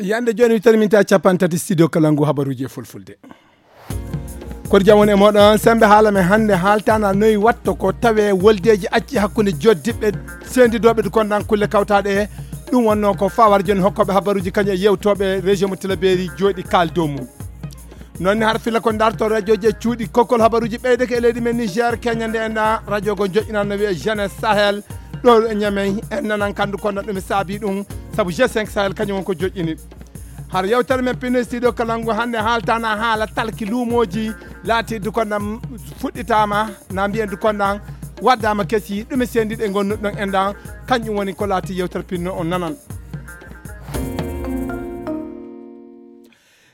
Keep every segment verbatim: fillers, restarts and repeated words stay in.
Yande jooni mi tarminta cappanɗe tati studio kala ngu habaruuji e fulfulde. Koɗo jam woni e mooɗon, sembe haala men hannde haaltana noy watto ko tawe woldeeji acci hakkunde joddiɓɓe sendidooɓe du kondan kulle kawtaaɗe. Ɗum wonno ko fawar jooni hokkooɓe habaruuji kañum e yewtooɓe région mo Tilaberi jooɗi kaal dow mum. Noon ni har filla ko darto radiooji e cuuɗi kokkol habaruuji ɓeydeke e leydi men Niger keñande en radio go joƴƴinan no wiye Jeunesse Sahel. Ɗo e Niamey en nanan kandu kondan ɗum e saabi ɗum sabu G cinq Sahel kañum won ko joƴƴini. Har yewtere men pinno studio kalangu hannde haaltana haala talki luumooji laatirdu kondan fuɗɗitaama na mbiyen du kondan waddama kesi ɗum e sendiɗe gonnuɗon en ɗan. Kañum woni ko laati yewtere pinno on nanan.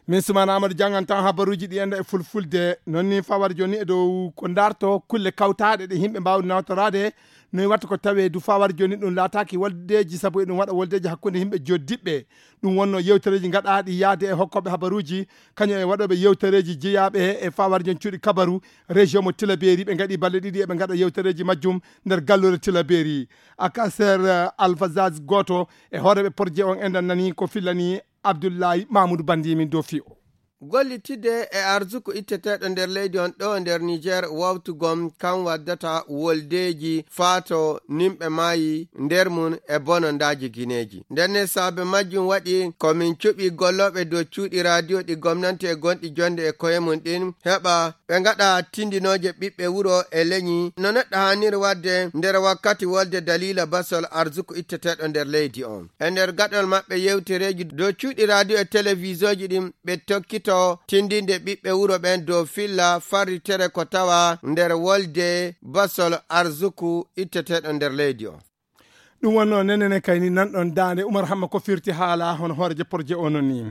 Min Sumana Amadou janngantan habaruuji ɗi enda e fulfulde. Noon ni fawar jooni e dow ko darto kulle kawtaaɗe ɗe yimɓe mbaawi nawtoraade. Noy watta ko tawe du fawar jooni ɗum laataaki woldeeji sabu eɗum waɗa woldeeji hakkunde yimɓe joddiɓɓe. Ɗum wonno yewtereeji gaɗaaɗi yaade e hokkooɓe habaruuji kañum e waɗooɓe yewtereeji jeyaaɓe e fawar jooni cuuɗi kabaru région mo Tilaberi ɓe ngaɗi balle ɗiɗi eɓe ngaɗa yewtereeji majjum nder gallure Tilaberi. Akaser Alfazaz gooto e hooreeɓe projet on enɗan nani ko fillani Abdullahi Mamoudou Bandi min dofi o. Gollitidde e arsuku itteteeɗo nder leydi on ɗo nder Niger wawtugom kan waddata woldeeji faato nimɓe maayi nder mum e bonondaaji gineeji. Ndenne saabe majjum waɗi ko min cuɓi gollooɓe dow cuuɗi radio ɗi gomnanti e gonɗi jonde e koye mum ɗin heɓa ɓe ngaɗa tindinooje ɓiɓɓe wuro e leñi no neɗɗo haaniri waɗde nder wakkati wolde daliila basol arsuku itteteeɗo nder leydi on. E nder gaɗol maɓɓe yewtereeji dow cuuɗi radio e televisoji ɗin ɓe tokkito tindinde ɓiɓɓe wuro ɓen dow filla farritere ko tawa nder wolde basol arsuku itteteeɗo nder leydi on. Ɗum wonno nenene kayni nanɗon daande Umar Hamma ko firti haala hono hooreejo projet o non ni.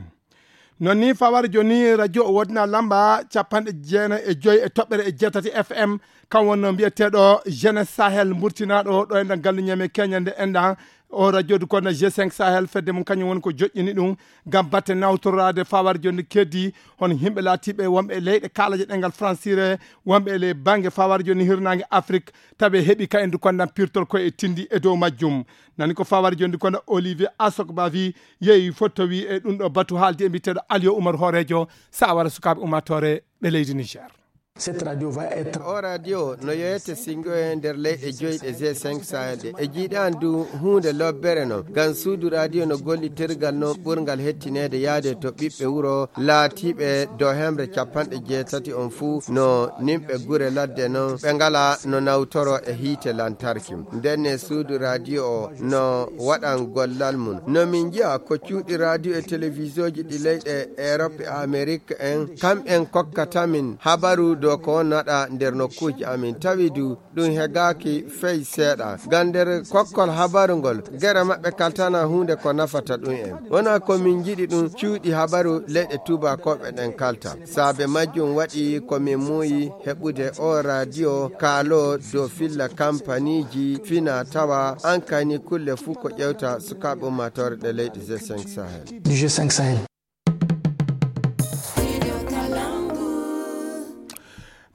Non ni fawar joni radio o wodna lamba capanɗe jeenayi e joyi e toɓɓere e jeetati F M, kan wonno mbiyeteeɗo Jeunesse Sahel mburtinaaɗo ɗo enɗan gallu ñame keñande enɗan. O radio du kono G cinq Sahel fedde mum kañum woni ko joƴƴini ɗum ngam batte nawtoraade fawar joni keddi hono yimɓe laatiiɓe wonɓe e leyɗe kaalaje ɗengal fransire, wonɓe e ley bannge fawar joni hirnaange Afrik, tawi heɓi ka en du kondan pirtol ko e tindi e dow majjum. Nani ko fawar joni du kono Olivier Asok Bavi yeeyi fottowi e ɗum ɗo batu haaldi e mbiteɗo Aliou Oumar Horejo, sawara sukaaɓe ummatore ɓe leydi Niger. Cette radio va être O radio no yeeyete singoye nder leyɗe joyi ɗe G cinq Sahel ɗe. E jiiɗan du huunde lobbere non. Ngam suudu radio no gollitirgal non ɓurngal hettineede yaade to ɓiɓɓe wuro laatiiɓe do hemre capanɗe jeetati on fuu no nimɓe gure ladde non ɓe ngala no nawtoro e hiite lantarki. Ndenne suudu radio o no waɗan gollal mum. No min njiya ko cuuɗi radio e televisoji ɗi leyɗe Europe e Amerique en, kamɓen kokkata min habaru dow ko wonnaɗa nder nokkuuji amin. Tawi du ɗum hegaaki fey seeɗa. Ngam nder kokkol habaru ngol, gere maɓɓe kaltana huunde ko nafata ɗum en. Wona ko min njiɗi ɗum cuuɗi habaru leyɗe tuubakooɓe ɗen kalta. Saabe majjum waɗi ko min muuyi heɓude o radio kaalo dow filla kampaniiji fina tawa an kayni kulle fuu ko ƴewta sukaaɓe ummaatoore ɗe leyɗe G cinq Sahel. Du G cinq Sahel.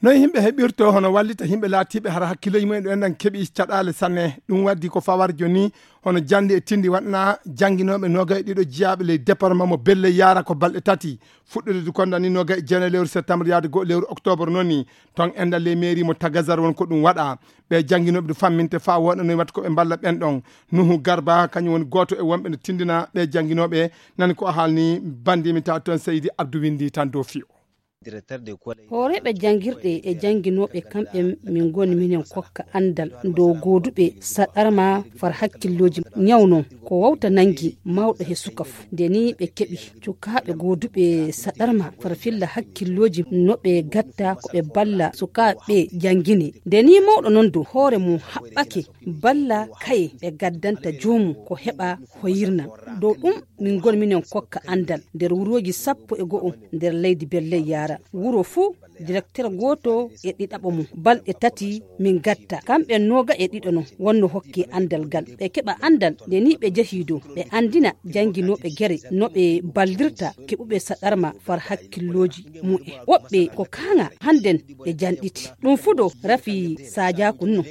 Noon yimɓe heɓirto hono wallita yimɓe laatiiɓe hara hakkileeji mumen ɗo enɗan keɓi caɗaale sanne. Ɗum waddi ko fawar joni hono jannde e tindi waɗna jannginooɓe noogay ɗiɗo jiyaaɓe ley département mo Belle Yara ko balɗe tati. Fuɗɗude du kondan ni noogay e jeenayi lewru septembre yaade go'o lewru octobre noon ni. Toon enɗan ley mairie mo Tagazar won ko ɗum waɗa. Ɓe jannginooɓe du famminte faa woɗa noy watta ko ɓe mballa ɓen ɗon. Nuhu Garba kañum woni gooto e wonɓe no tindina ɓe jannginooɓe. Nani ko o haalni banndimi ta toon Seydi Abdou Winndi tan dow fiyo. Hooreeɓe janngirɗe e jannginooɓe kamɓe min ngoni minen kokka anndal dow gooduɓe saɗarma far hakkillooji ñaw non ko wawta nanngi mawɗo he suka fu. Nde ni ɓe keɓi cukaaɓe gooduɓe saɗarma far filla hakkillooji no ɓe gatta ko ɓe balla sukaaɓe janngine. Nde ni mawɗo non dow hoore mum haɓɓake balla kaye ɓe gaddanta joomum ko heɓa hoyirna. Dow ɗum min ngoni minen kokka anndal nder wurooji sappo e go'o nder leydi Belle Yara. Wuro fuu, direkter gooto e ɗiɗaɓo mum. Balɗe tati min gatta. Kamɓe nooga e ɗiɗo non wonno hokke anndal ngal. Ɓe keɓa anndal nde ni ɓe jehii dow. Ɓe anndina jannginooɓe gere no ɓe ballirta keɓuɓe saɗarma far hakkillooji mumen. Woɓɓe ko kaaŋa hannden ɓe janɗiti. Ɗum fuu dow rafi saajaaku non.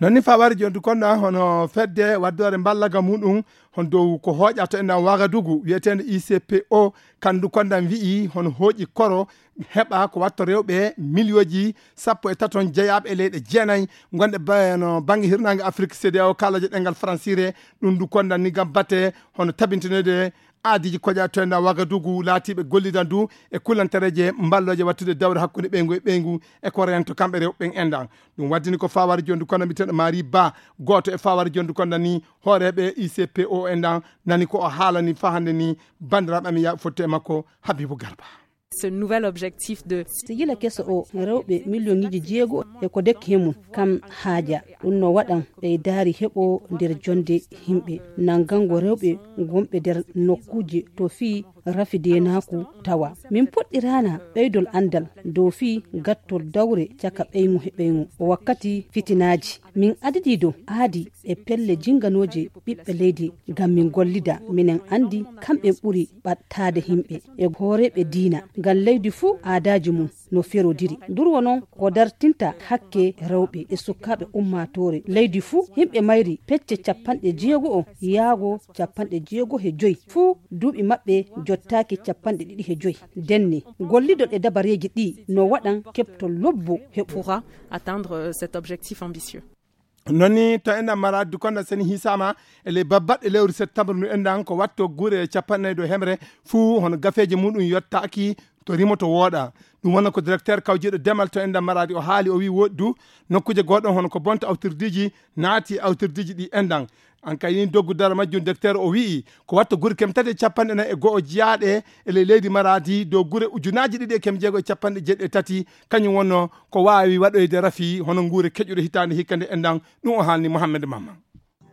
Non ni fawari jondu konda hono fedde waddoore mballaga muɗum hon dow ko hooƴa to enɗan Wagadugu wiyeteende I C P O, kandu kondan wi'i hono hooƴi koro heɓa ko watto rewɓe miliyooji sappo e taton jeyaaɓe e leyɗe jeenayi gonɗe ba-, no bannge hirnaange Afrik, C D A O, kaalaje ɗengal Fransire. Ɗum ndu kondan ni gam bate hono tabintinede aadiiji koƴa to enɗan Wagadugu laatiiɓe gollidan du e kulantareeje mballooje wattude dawre hakkunde ɓeyngu e ɓeyngu e ko rento kamɓe rewɓe ɓen enɗan. Ɗum waddini ko fawari jondu kondan mbiteɗo Mari Ba, gooto e fawari jondu kondan ni hooreeɓe I C P O enɗan nani ko o haalani fahande ni banndiraaɓe amin yaaɓe fotte e makko Habibu Garba. Ce nouvel objectif de Sijila keso o rewɓe miliyoŋiiji jeego e ko dekki he mum kam haaja. Ɗum no waɗan ɓeydaari heɓo nder jonde yimɓe. Nanngango rewɓe gonɓe nder nokkuuje to fii rafi deenaaku tawa. Min poɗɗiraana ɓeydol anndal dow fii gattol dawre caka ɓeyŋu he ɓeyŋu. O wakkati fitinaaji. Min adidi dow aadi e pelle jinganooje ɓiɓɓe leydi ngam min gollida. Minen anndi kamɓe ɓuri ɓattaade yimɓe e hooreeɓe diina. Ngam leydi fuu aadaaji mum no ferodiri. Durwo noon ko dartinta hakke rewɓe e sukaaɓe ummaatoore. Leydi fuu yimɓe mayri pecce capanɗe jeego o yaago capanɗe jeego he joyi. Fuu duuɓi maɓɓe jottaaki capanɗe ɗiɗi he joyi. Denne, gollidol e dabareeji ɗi no waɗan keɓtol lobbo heɓo. Pourra atteindre, euh, cet objectif ambitieux. Non ni to enɗan Maradi du kondan seni hisama e ley babbaɗɗe lewru septembre ndu enɗan ko watto gure capanɗe nayi dow hemre fuu hono gafeeji muɗum yottaaki to rimoto wooɗa. Ɗum wonno ko directeur kawjiiɗo demal to enɗan Maradi o haali, o wi'i woɗɗi du nokkuuje gooɗon hono ko bonta awtirdiiji naati e awtirdiiji ɗi enɗan. An kay ni doggu dara majjum directeur o wi'i ko watto gure kem tati e capanɗe nayi e go'o jiyaaɗe e ley leydi Maradi dow gure ujunaaji ɗiɗi e kem jeego e capanɗe jeeɗiɗi e tati, kañum wonno ko waawi waɗoyde rafi hono nguure keƴuɗe hitaande hikka nde enɗan. Ɗum o haalni Mohammed Mamman.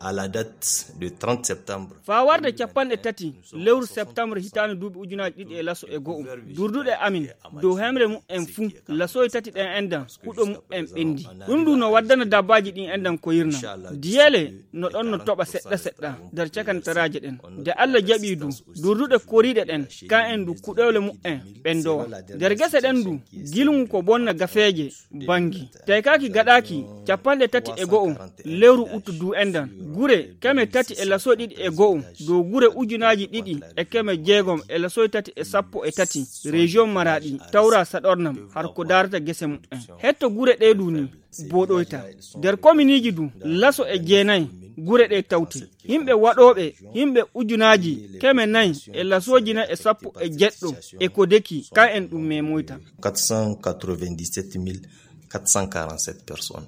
À la date de trente septembre. Faa warde capanɗe tati lewru septembre hitaande duuɓi ujunaaji ɗiɗi e laso e go'o, durduɗe amin dow hemre mu'en fuu, lasoy tati ɗen enɗan huɗo mu'en ɓenndi. Ɗum ɗum no waddana dabbaaji ɗin enɗan ko yirnam. Diyeele no ɗon no toɓa seɗɗa seɗɗa nder cakantaraaje ɗen. Nde Alla jaɓi du, durduɗe koriiɗe ɗen, kan en du kuɗewle mu'en ɓenndowa. Nder gese ɗen du, gilŋu ko bonna gafeeje banngi. Taykaaki gaɗaaki capanɗe tati e go'o lewru uttu du enɗan. Gure keme tati e laso ɗiɗi e go'o dow gure ujunaaji ɗiɗi e keme jeegom e lasoy tati e sappo e tati, région Maradi, tawra saɗornam har ko daarata gese mu'en. Hetto gure ɗe du ni booɗoyta. Nder kominiiji du, laso e jeenayi gure ɗe tawte. Yimɓe waɗooɓe, yimɓe ujunaaji keme nayi e lasooji nayi e sappo e jeɗɗo e ko deki, kan en ɗum memoyta. Quatre cent quatre-vingt-dix-sept mille quatre cent quarante-sept personnes.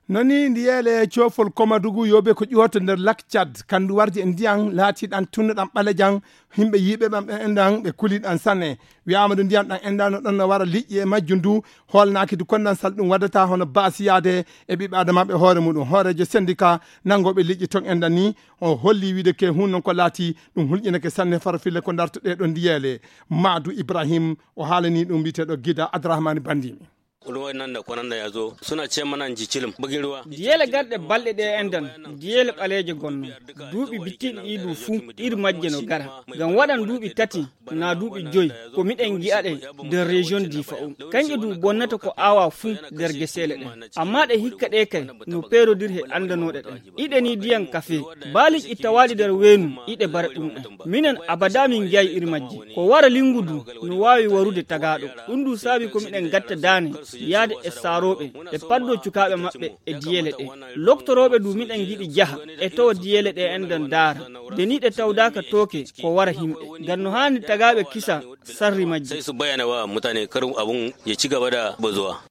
Non ni ndiyeele coofol Komadugu yoobe ko ƴooto nder lak Tchad, kandu wardi e ndiyan laatiɗan tunnuɗan ɓalejan, yimɓe yiiɓe ɓam ɗan enɗan ɓe kuliɗan sanne. Wiyaama du ndiyan ɗan enɗan no ɗon no wara liƴƴi e majjum du, hoolnaaki du kondan sal ɗum waddata hono baasiyaade e ɓiɓɓe adamaaɓe hoore muɗum. Hooreejo sendika nanngooɓe liƴƴi ton enɗan ni, o holli wiide ke hun non ko laati ɗum hulƴinake sanne faro fille ko ndarto ɗee ɗo ndiyeele. Maadu Ibrahim o haalani ɗum mbiyeteeɗo Gida Adrahmani Bandimi. Ruwan nan da kwanan da ya zo suna ce mana in ji cilim bugin ruwa. Diyeele garɗe balɗe ɗe enɗan, diyeele ɓaleeje gonno. Duuɓi bittiiɗi ɗi du fuu, iri majje no gara. Ngam waɗan duuɓi tati, naa duuɓi joyi, ko miɗen gi'a ɗe nder région Difa o. Kanƴe du bonnata ko aawa fuu nder geseele ɗen. Amma ɗe hikka ɗe kay, no peerodiri he anndanooɗe ɗen. Iɗe ni diyan kafe, baa liƴƴi tawaaɗi nder weenu, iɗe bara ɗum en. Minen abada min ngi'ay iri majje. Ko wara lingu du, no waawi warude tagaaɗo. Ɗum du saabi ko miɗen gatta daane, yaade e saarooɓe, ɓe paddoo cukaaɓe maɓɓe e diyeele ɗe. Loktorooɓe du miɗen ngiɗi jaha, e tawa diyeele ɗe enɗan daara. Nde ni ɗe tawdaaka tooke, ko wara himɓe. Ngam no haani tagaaɓe kisa sarri majje. Sai su bayyana wa mutane kar abun ya ci gaba da bazuwa.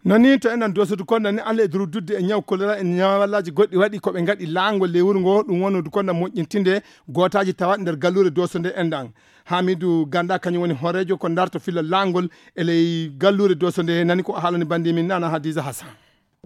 Non ni to enen dosodu konda ni Allah e durududde e ñaw kolera e ñawallaaji goɗɗi waɗi ko ɓe ngaɗi laangol ley wuro ngo, ɗum wonno du konda moƴƴintinde gootaaji tawaaɗi nder galluure Doso nde enɗan. Hamidu Ganda kañum woni hooreejo ko darto filla laangol e ley galluure Doso nde, nani ko o haalani bandi min Nana Hadiza Hassan.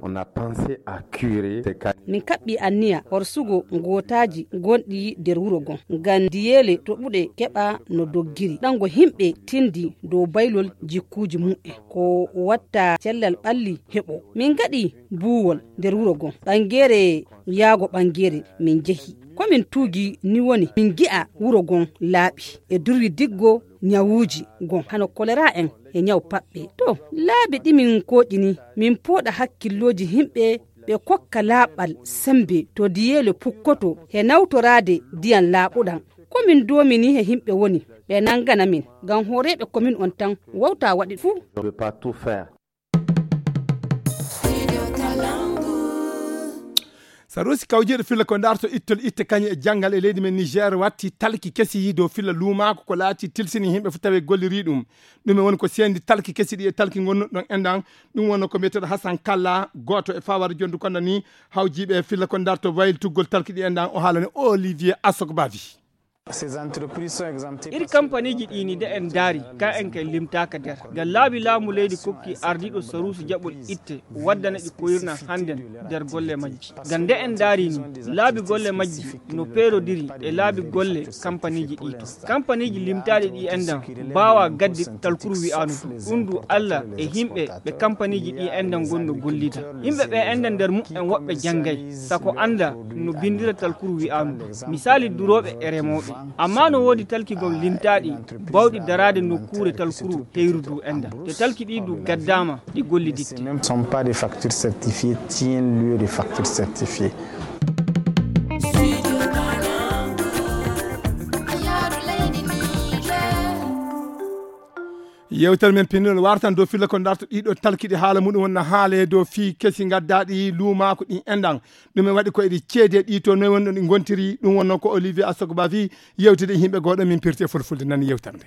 On a pensé à curer ces cas. Min kaɓɓi anniya horsugo gootaaji gonɗi nder wuro gon, ngam diyeele toɓuɗe keɓa no doggiri. Ɗango yimɓe tindi dow baylol jikkuuji mum'en. Ko watta cellal ɓalli heɓo. Min ngaɗi buuwol nder wuro gon. Ɓangeere yaago ɓangeere min njehi. Ko min tuugi ni woni min ngi'a wuro gon laaɓi e durwi diggo ñawuuji gon hano kolera en e ñaw paɓɓe. To, laabi ɗi min kooƴini, min pooɗa hakkillooji yimɓe ɓe kokka laaɓal semmbe to diyeele pukkoto he nawtoraade ndiyam laaɓuɗam. Ko min doomini he yimɓe woni ɓe nanngana min, ngam hooreeɓe komin on tan wawta waɗi fuu. Sarusi kawjiiɗo filla ko ndarto ittol itte kañe e janngal e leydi men Niger watti talki kesi dow filla luumaako ko laati tilsini yimɓe fof tawi golliri ɗum. Ɗum e woni ko seendi talki kesi ɗi e talki ngonnuɗo ɗon enɗan. Ɗum wonno ko mbiyeteeɗo Hassan Kalla, gooto e fawar jondu konda ni hawjiiɓe e filla ko ndarto wayiltugol talki ɗi enɗan. O haalani Olivier Asokbavi. Iri kampaniiji ɗi ni de en daari, ka en kay limtaaka nder. Ngam laabi laamu leydi kokki ardiiɗo saruusi jaɓol itte, waddana ɗi koyirna hannden nder golle majji. Ngam nde en daari ni, laabi golle majji no peerodiri e laabi golle kampaniiji ɗi to. Kampaniiji limtaaɗi ɗi enɗan mbaawa gaddi talkuru wi'aanu du. Ɗum du Allah e yimɓe ɓe kampaniiji ɗi enɗan ngonno gollida. Yimɓe ɓe enɗan nder muɓɓen woɓɓe janngay, sako annda no binndira talkuru wi'aanu du. Misaali durooɓe e remooɓe. Amma no woodi talki gom lintaaɗi bawɗi daraade nokkuure talkuru heyru du enɗan. Te talki ɗi du gaddaama ɗi golliditte. Même sont pas des factures certifiées, tiennent lieu de factures certifiées. Yewtere men pinndol wartan dow filla ko ndarto ɗiɗo talkiɗi haala muɗum wonna haale dow fii kesi ngaddaɗi luumaako ɗin enɗan. Ɗum en waɗi ko eɗi ceede ɗi to noy wonno ɗi gontiri. Ɗum wonno ko Olivier Asogba fii yewtide e yimɓe gooɗo min pirti e fulfulde nani yewtere nde.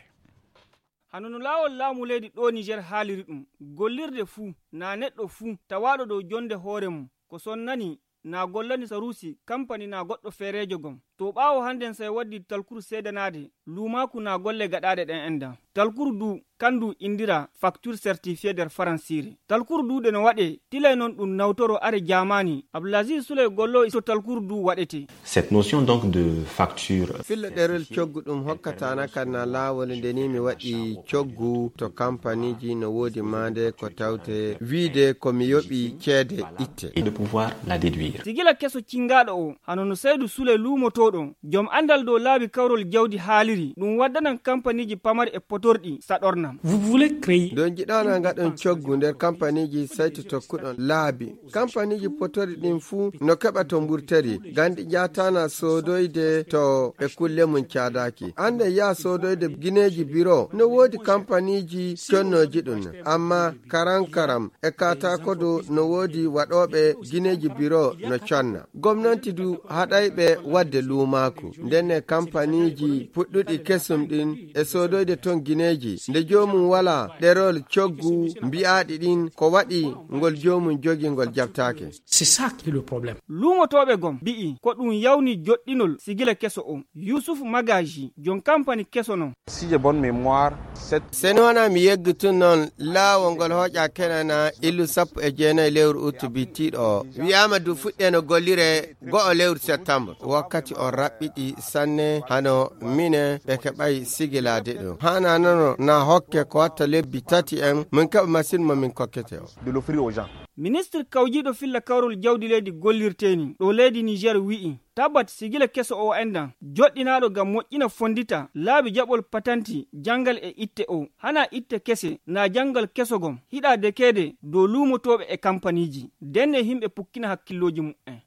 Hano no laawol laamu leydi ɗo Niger haaliri ɗum, gollirde fuu, naa neɗɗo fuu tawaaɗo dow jonde hoore mum, ko sonnani, naa gollani saruusi, kampani naa goɗɗo feereejo gom. To ɓaawo hannden say waddi talkuru seedanaade, luumaaku naa golle gaɗaaɗe ɗen enɗan. Talkuru du, kan du indira facture certifiée nder faransiire. Talkuru du ɗe no waɗe, tilay non ɗum nawtoro are jaamaani. Abdulaziz Suley gollo to talkuru du waɗete. Cette notion donc de facture. Filla ɗerol coggu ɗum hokkatana kan na laawol nde ni mi waɗi coggu to kampaniji no woodi maande ko tawte wiide ko mi yoɓi ceede itte. Et de pouvoir la déduire. Sigila keso cingaaɗo o, hano no Saydu Sule luumotooɗo, jom anndal dow laabi kawrol jawdi haaliri, ɗum waddanan kampaniji pamarɗi e potorɗi saɗornam. Vous voulez créer. Don jiɗana ngaɗon coggu nder kampaniji saytu tokkuɗon laabi. Kampaniji potori ɗin fuu no keɓa to mburteri, gandi jaatana soodoyde to e kulle mum caadaaki. Annde yaa soodoyde gineeji biro, no woodi kampaniji connooji ɗum. Amma karam karam e kaataako du no woodi waɗooɓe gineeji biro no conna. Gomnanti du haɗayɓe waɗde luumaaku. Ndenne kampaniji puɗɗuɗi kesum ɗin e soodoyde ton gineeji. Nde joomum walaa ɗerol coggu mbi'aaɗi ɗin ko waɗi ngol joomum jogi ngol jabtaake. C'est ça qui est le problème. Luumotooɓe gom mbi'i ko ɗum yawni joɗɗinol sigila keso o. Yusuf Magaji, jon kampani keso non. Si j'ai bonne mémoire, cette. Seni wona mi yeggitu noon laawol ngol hooƴa kenana illu sappo e jeenayi lewru uttu bittiiɗo o. Wi'aama du fuɗɗeno gollire go'o lewru septembre. Wakkati on raɓɓiɗi sanne hano mine ɓe keɓay sigilaade ɗum. Hana nono na hokke ko watta lebbi tati en min keɓa machine mo min kokkete o. De l'offrir aux gens. Ministre kawjiiɗo filla kawrol jawdi leydi gollirteeni ɗo leydi Niger wi'i, tabat sigila keso o enɗan, joɗɗinaaɗo ngam moƴƴina fondita laabi jaɓol patanti janngal e itte o, hana itte kese, na janngal keso gom, hiɗa dekeede dow luumotooɓe e kampaniji, ndenne yimɓe pukkina hakkillooji muɓɓen.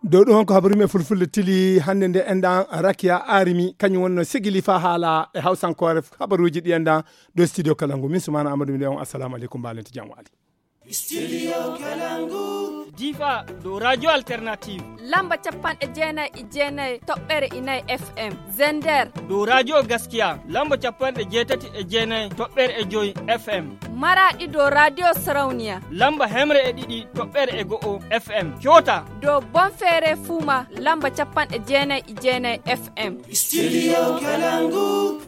Dow ɗum honko habaru men fulfulde tili hannde nde enɗan Rakiya Arimi, kañum wonno sigili fa haala e hawsankoore habaruuji ɗi enɗan dow studio kala ngu. Min Sumana Amadou mi on assalamu aleykum mbalenti jam waali. Studio Kalangu. Difa dow radio alternative. Lamba capanɗe jeenayi e jeenayi toɓɓere inayi F M. Zender. Dow radio Gaskiya lamba capanɗe jeetati e jeenayi toɓɓere e joyi F M. Maraɗi dow radio Sarauniya. Lamba hemre e ɗiɗi toɓɓere e go'o F M. Coota. Dow Bonfere Fuma lamba capanɗe jeenayi e jeenayi F M. Studio Kalangu.